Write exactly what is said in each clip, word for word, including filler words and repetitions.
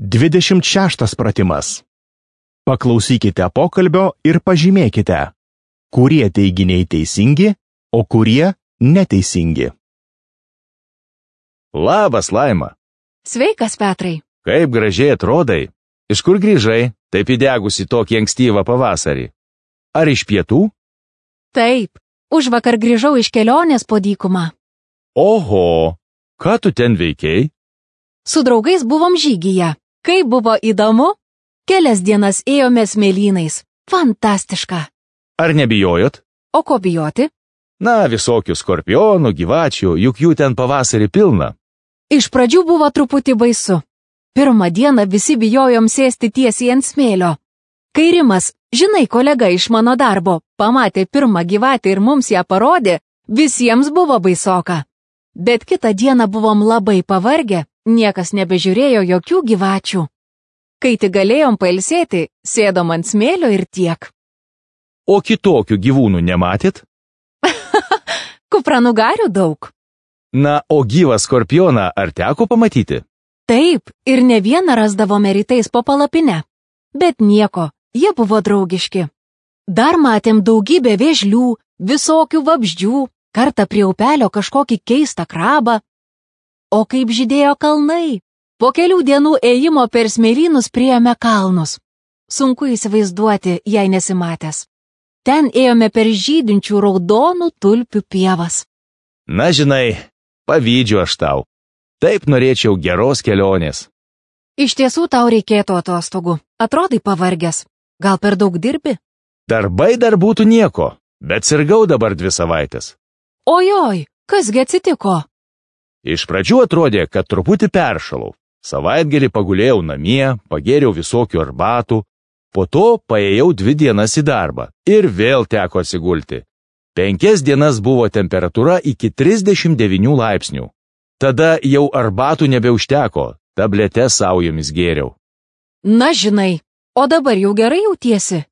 dvidešimt šeštas pratimas. Paklausykite pokalbio ir pažymėkite, kurie teiginiai teisingi, o kurie neteisingi. Labas, Laima. Sveikas, Petrai. Kaip gražiai atrodai. Iš kur grįžai, taip įdegusi tokį ankstyvą pavasarį? Ar iš pietų? Taip, užvakar grįžau iš kelionės po dykumą. Oho, ką tu ten veikei? Su draugais buvom žygyje. Kaip buvo įdomu? Kelias dienas ėjome smėlynais. Fantastiška. Ar nebijojot? O ko bijoti? Na, visokių skorpionų, gyvačių, juk jų ten pavasarį pilna. Iš pradžių buvo truputį baisu. Pirmą dieną visi bijojom sėsti tiesiai ant smėlio. Kai Rimas, žinai, kolega iš mano darbo, pamatė pirmą gyvatę ir mums ją parodė, visiems buvo baisoka. Bet kitą dieną buvom labai pavargę, niekas nebežiūrėjo jokių gyvačių. Kai tik galėjom pailsėti, sėdom ant smėlio ir tiek. O kitokių gyvūnų nematėt? Kupranugarių daug. Na, o gyvą skorpioną ar teko pamatyti? Taip, ir ne vieną rasdavome rytais po palapinę. Bet nieko, jie buvo draugiški. Dar matėm daugybę vėžlių, visokių vabzdžių, kartą prie upelio kažkokį keistą krabą. O kaip žydėjo kalnai. Po kelių dienų ėjimo per smėlynus priėjome kalnus. Sunku įsivaizduoti, jei nesimatęs. Ten ėjome per žydinčių raudonų tulpių pievas. Na, žinai, pavydžiu aš tau. Taip norėčiau geros kelionės. Iš tiesų tau reikėtų atostogų. Atrodai pavargęs. Gal per daug dirbi? Darbai dar būtų nieko, bet sirgau dabar dvi savaitės. Ojoj, kasgi atsitiko? Iš pradžių atrodė, kad truputį peršalau. Savaitgalį pagulėjau namie, pagėriau visokių arbatų, po to paėjau dvi dienas į darbą ir vėl teko atsigulti. Penkias dienas buvo temperatūra iki trisdešimt devynių laipsnių. Tada jau arbatų nebeužteko, tabletes saujomis gėriau. Na žinai, o dabar jau gerai jautiesi?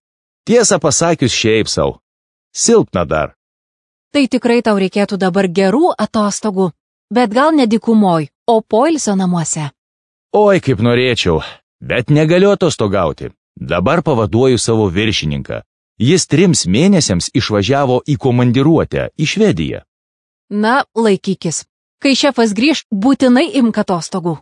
Tiesą pasakius šiaip sau. Silpna dar. Tai tikrai tau reikėtų dabar gerų atostogų, bet gal ne dykumoj, o poilsio namuose. Oi, kaip norėčiau, bet negaliu atostogauti. Dabar pavaduoju savo viršininką. Jis trims mėnesiams išvažiavo į komandiruotę į Švediją. Na, laikykis. Kai šefas grįš, būtinai imk atostogų.